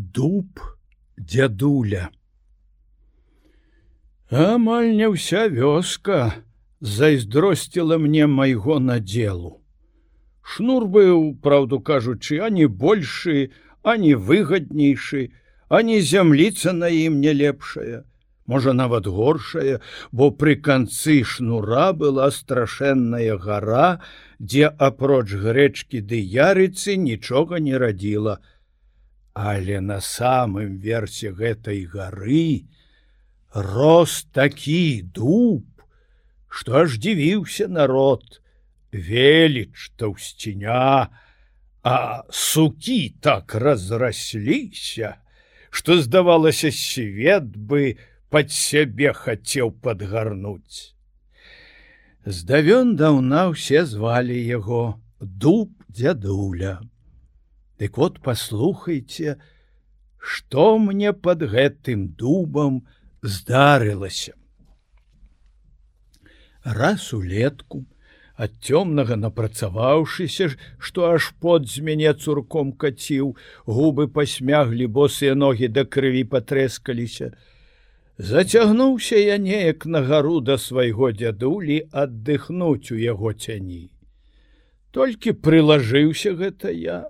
Дуб дзядуля. Амаль не ўся вёска зайздросціла мне майго надзелу. Шнур быў, праўду кажучы, ані большы, ані выгаднейшы, ані зямліца на ім не лепшая, можа нават горшая, бо пры канцы шнура была страшэнная гара, дзе апроч грэчкі ды ярыцы нічога не радзіла. Але на самым версе гэтай гары рос такі дуб, што аж дзівіўся народ, веліч таўсціня, а сукі так разрасліся, што, здавалася, свет бы пад сябе хацеў падгарнуць. Здавён-даўна ўсе звалі яго Дуб дзядуля. Дык вот паслухайце, што мне пад гэтым дубам здарылася. Раз улетку, ад цёмнага напрацаваўшыся, што аж пот з мяне цурком каціў, губы пасмяглі, босыя ногі да крыві патрэскаліся, зацягнуўся я неяк на гару да свайго дзядулі аддыхнуць у яго цяні. Толькі прылажыўся гэта я,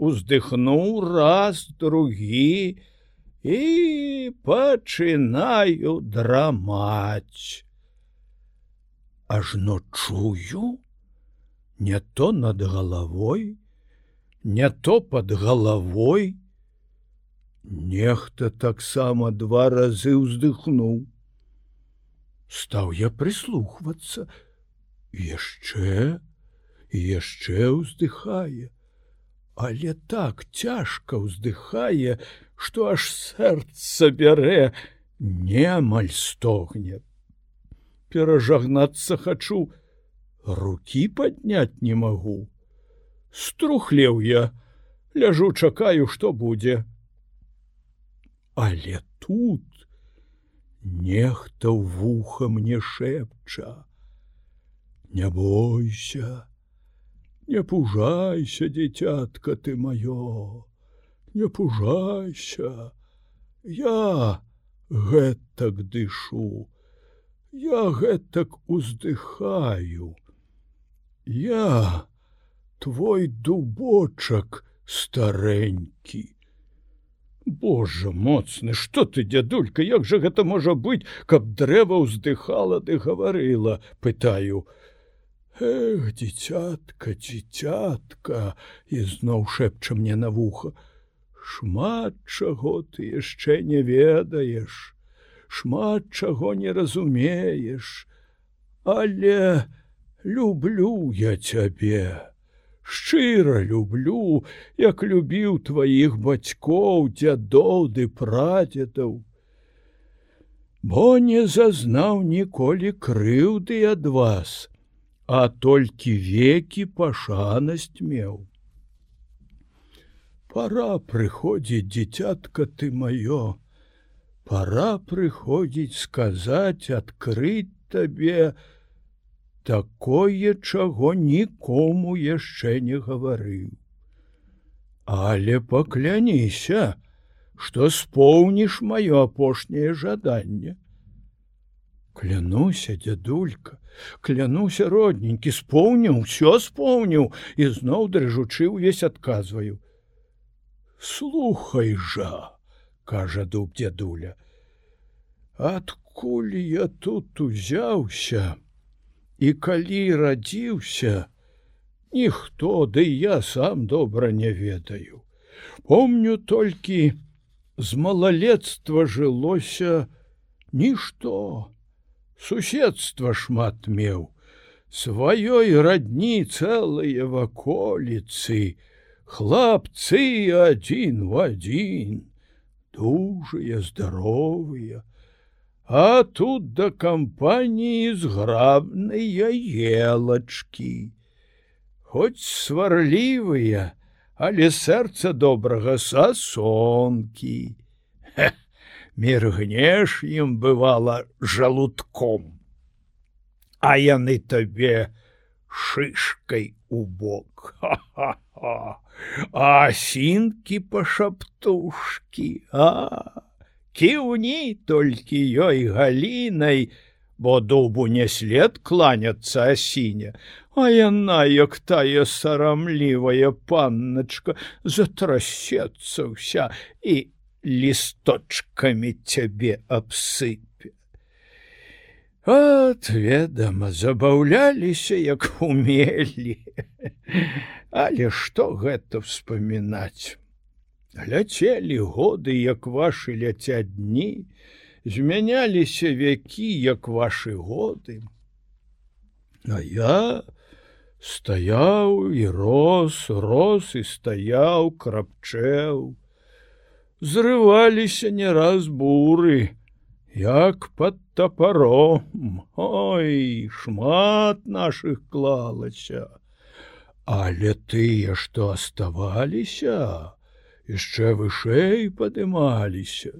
уздыхнуў раз, другі і пачынаю драмаць. Ажно чую, не то над галавой, не то пад галавой. Нехта таксама 2 разы ўздыхнуў. Стаў я прыслухвацца. Яшчэ ўздыхае, але так цяжка ўздыхае, што аж сэрца бярэ, немаль стогне. Перажагнацца хачу, рукі падняць не магу. Струхлеў я, ляжу, чакаю, што будзе. Але тут нехта ў вуха мне шэпча: не бойся, не пужайся, дзіцятка ты маё, не пужайся, я гэтак дышу, я гэтак уздыхаю, я твой дубочак старэнькі. Божа моцны, што ты, дзядулька, як жа гэта можа быць, каб дрэва ўздыхала ды гаварыла, пытаю. Эх, дзіцятка, дзіцятка, ізноў шэпча мне на вуха, шмат чаго ты яшчэ не ведаеш, шмат чаго не разумееш, але люблю я цябе, шчыра люблю, як любіў тваіх бацькоў, дзядоў ды прадзедаў, бо не зазнаў ніколі крыўды ад вас, а толькі векі пашанасць меў. Пара прыходзіць, дзіцятка ты маё, пара прыходзіць сказаць, адкрыць табе такое, чаго нікому яшчэ не гаварыў. Але пакляніся, што споўніш маё апошняе жаданне. Клянуся, дзядулька, клянуся, родненькі, споўніў, усё споўніў, і зноў дрыжучы ўвесь адказваю. Слухай жа, кажа Дуб дзядуля, адкуль я тут узяўся і калі радзіўся, ніхто, ды я сам добра не ведаю. Помню толькі, з малалецтва жылося нішто. Суседства шмат меў, сваёй радні цэлыя ваколіцы, хлапцы адзін в адзін, дужыя, здаровыя, а тут да кампаніі зграбныя елачкі. Хоць сварлівыя, але сэрца добрага сасонкі. Міргнеш ім, бывала, жалудком, а яны табе шышкай у бок. Ха-ха-ха! асінкі пашаптушкі, кіўні толькі ёй галінай, бо дубу не след кланяцца асіне, а яна, як тая сарамлівая панначка, затрасецца ўся і лісточкамі цябе абсыпе. От, ведама, забаўляліся, як умелі. Але што гэта вспамінаць? Ляцелі годы, як вашы ляцяць дні, змяняліся вякі, як вашы годы. А я стаяў і рос і стаяў, крапчэў. Зрываліся не раз буры, як пад тапаром. Ой, шмат нашых клалася. Але тыя, што аставаліся, яшчэ вышэй падымаліся.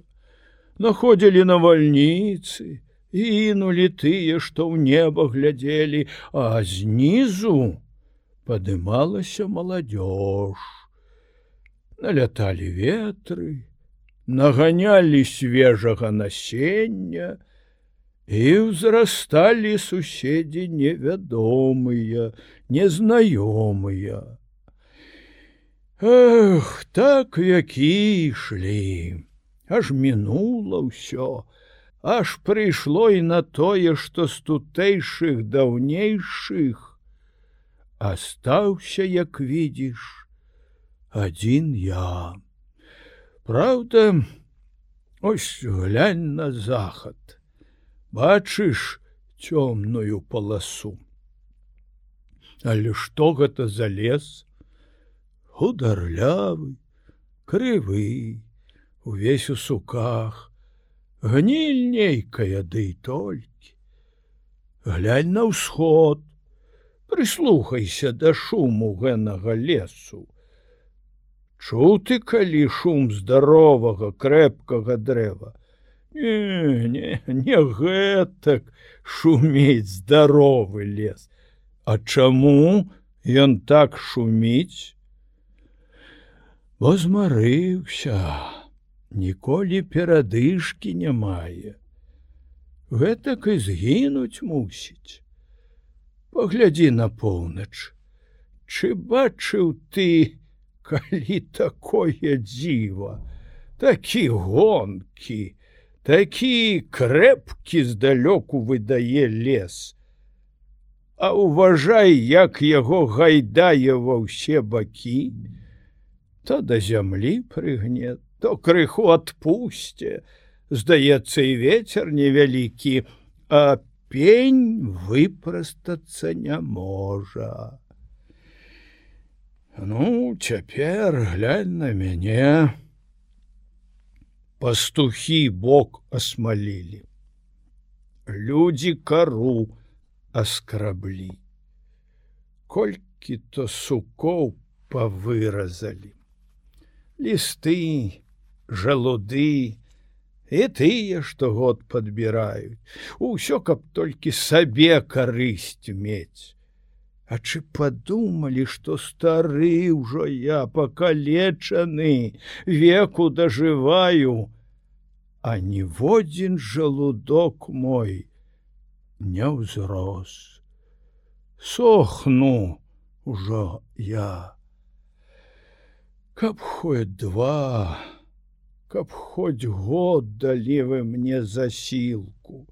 Находзілі навальніцы, інулі тыя, што ў неба глядзелі, а знізу падымалася маладзёж. Наляталі ветры, наганялі свежага насення, і ўзрасталі суседзі невядомыя, незнаёмыя. Эх, так вякі ішлі, аж мінула ўсё, аж прыйшло і на тое, што з тутэйшых даўнейшых астаўся, як відзіш, адзін я. Праўда, ось глянь на захад, бачыш цёмную паласу. Але што гэта за лес? Хударлявы, крывы, увесь у суках, гніль нейкая, ды і толькі. Глянь на ўсход, прыслухайся да шуму гэнага лесу. Чуты калі шум здаровага, крэпкага дрэва? Не гэтак шумець здаровы лес. А чаму ён так шуміць? Бо змарыўся, ніколі перадышкі не мае. Гэтак і згінуць мусіць. Паглядзі на поўнач. Чы бачыў ты, калі такое дзіва, такі гонкі, такі крэпкі здалёку выдае лес. А уважай, як яго гайдае ва ўсе бакі, то да зямлі прыгне, то крыху адпусце, здаецца, і вецер невялікі, а пень выпрастацца не можа. Ну, цяпер глянь на мяне. Пастухі бок асмалілі, людзі кару аскраблі, колькі то сукоў павыразалі. Лісты, жалуды і тыя, штогод падбіраюць. Усё, каб толькі сабе карысць мець. А чы падумалі, што стары ўжо я, пакалечаны, веку дажываю, а ніводзін жалудок мой не ўзрос. Сохну ўжо я. Каб хоць 2, каб хоць год далі вы мне засілку,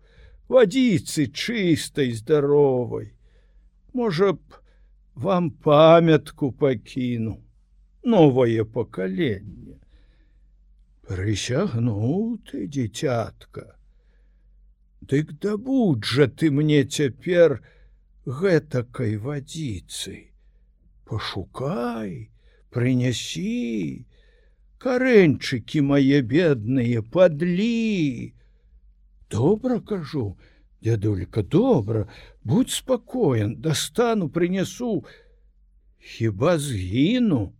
вадзіцы чыстай, здаровай. Можа б, вам памятку пакіну, новае пакаленне. Прысягну ты, дзіцятка. Дык дабудь жа ты мне цяпер гэтакай вадзіцы. Пашукай, прынясі, карэньчыкі мае бедныя, падлі. Добра кажу, дзядулька, добра, будь спакоен, дастану, прынясу. Хіба згіну?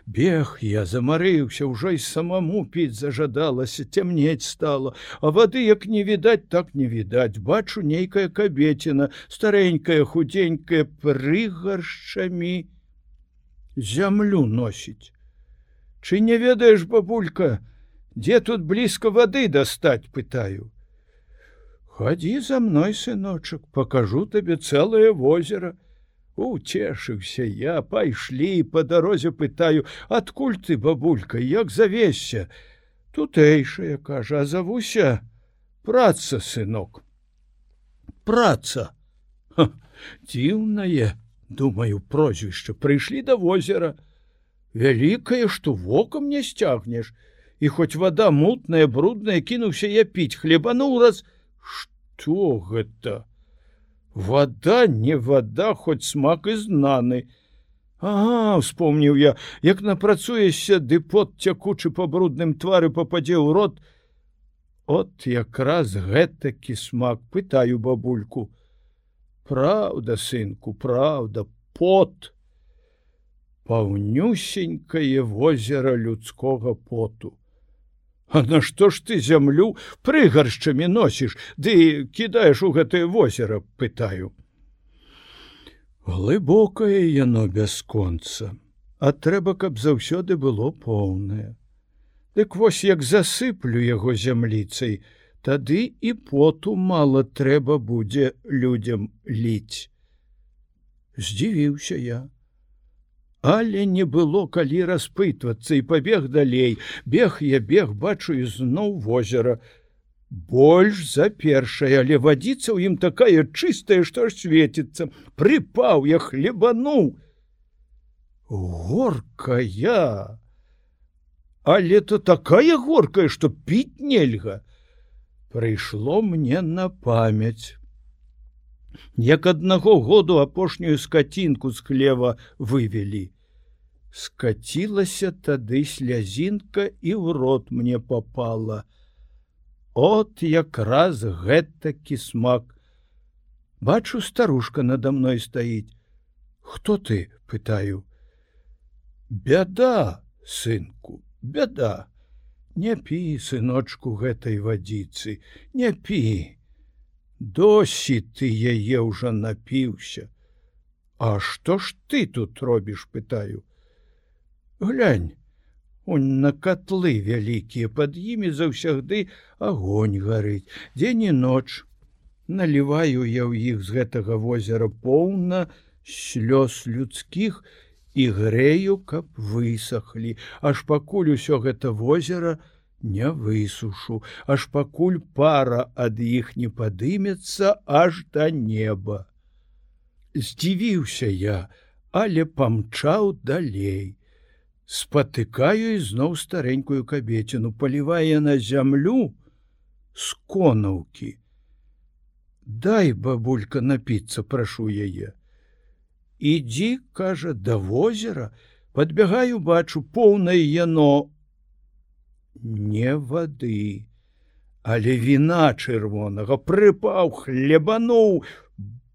Бег я, замарыўся, ўжо й самому піць зажадалася, цямнець стала, а вады як не відаць, так не відаць. Бачу, нейкая кабеціна, старенькая, худенькая, прыгаршчамі. зямлю носіць. Чы не ведаеш, бабулька, дзе тут блізка вады дастаць, пытаю. Хадзі за мной, сыночак, пакажу табе цэлае возера. Уцешыўся я, пайшлі, па дарозе пытаю: адкуль ты, бабулька, як завесся? Тутэйшая, кажа, а завуся Праца, сынок. Праца. Дзіўнае, думаю, прозвішча. Прыйшлі да возера. Вялікае, што вокам не сцягнеш. І хоць вада мутная, брудная, кінуўся я піць, хлебануў раз. Што гэта? Вада, не вада, хоць смак і знаны. Ага, успомніў я, як напрацуешся, ды пот цякучы па брудным твары пападзе ў рот. От якраз гэтакі смак, пытаю бабульку. Праўда, сынку, праўда, пот. Паўнюсенькае возера людскога поту. А нашто ж ты зямлю прыгаршчамі носіш, ды кідаеш у гэтае возера, пытаю. Глыбокае яно бясконца, а трэба, каб заўсёды было поўнае. Дык вось як засыплю яго зямліцай, тады і поту мала трэба будзе людзям ліць. Здзівіўся я. Але не было калі распытвацца, і пабег далей. Бег я бег, бачу ізноў возера. Больш за першае, але вадзіца ў ім такая чыстая, што аж светіцца. Прыпаў я, хлебануў. Горкая! Але то такая горкая, што піць нельга. Прыйшло мне на памяць. Як аднаго году апошнюю скацінку з хлева вывелі. Скацілася тады слязінка і ў рот мне попала. От якраз гэтакі смак. Бачу, старушка надо мной стаіць. Хто ты, пытаю. Бяда, сынку, бяда. Не пі, сыночку, гэтай вадзіцы, не пі. Досі ты яе ўжо напіўся. А што ж ты тут робіш, пытаю. Глянь, он на котлы вялікія, пад імі заўсягды агонь гарыць. Дзень і ноч. Наліваю я ў іх з гэтага возера поўна слёз людскіх і грэю, каб высохлі, аж пакуль усё гэта возера не высушу, аж пакуль пара ад іх не падымецца аж да неба. Здзівіўся я, але памчаў далей. Спатыкаю ізноў старенькую кабеціну, палівае на зямлю з конаўкі. Дай, бабулька, напіцца, прашу яе. Ідзі, кажа, да возера, падбягаю, бачу, поўнае яно не вады, але віна чырвонага, прыпаў, хлебануў.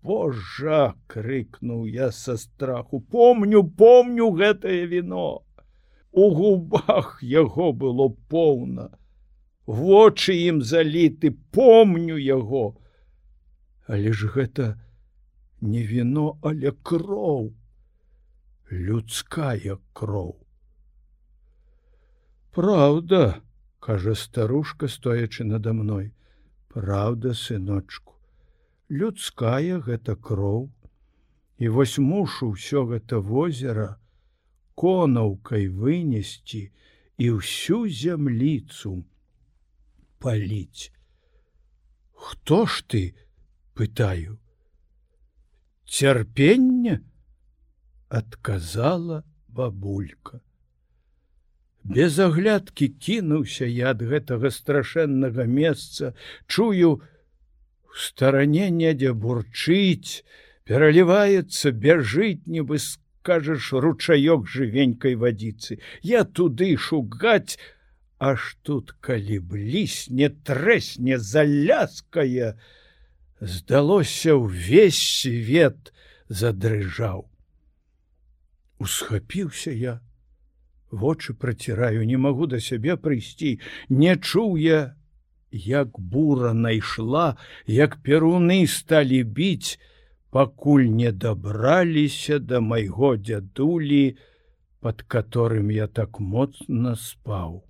Божа, крыкнуў я са страху, помню гэтае віно. У губах яго было поўна, вочы ім заліты, помню яго. Але ж гэта не віно, але кроў, людская кроў. Праўда, кажа старушка, стоячы надо мной. Праўда, сыночку, людская гэта кроў. І вось мушу ўсё гэта возера конаўкай вынесці і ўсю зямліцу паліць. Хто ж ты, пытаю. Цярпенне, адказала бабулька. Без аглядкі кінуўся я ад гэтага страшэннага месца, чую, у старане недзе бурчыць, пераліваецца, бяжыць, нібы скажаш, ручаёк жывенькай вадзіцы. Я туды шугаць, аж тут, калі блісне, трэсне, заляскае, здалося, ўвесь свет задрыжаў. Усхапіўся я, вочы праціраю, не магу да сябе прыйсці, не чуў я, як бура найшла, як перуны сталі біць, пакуль не дабраліся да майго дзядулі под которым я так моцна спаў.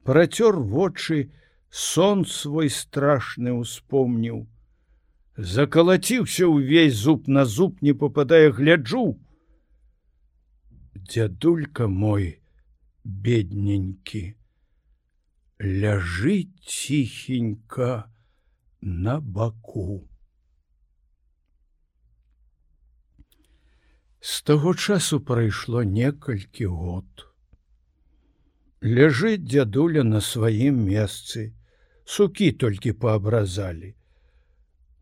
Працёр вочы, сон свой страшны успомніў. Закалаціўся ўвесь зуб на зуб, не попадая, гляджу. Дзядулька мой, бедненькі, ляжыць ціхенька на баку. З таго часу прайшло некалькі год. Ляжыць дзядуля на сваім месцы, сукі толькі паабразалі,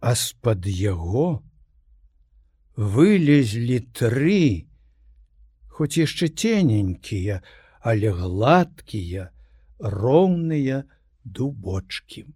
а з-пад яго вылезлі 3, хоць яшчэ цененькія, але гладкія, роўныя дубочкі.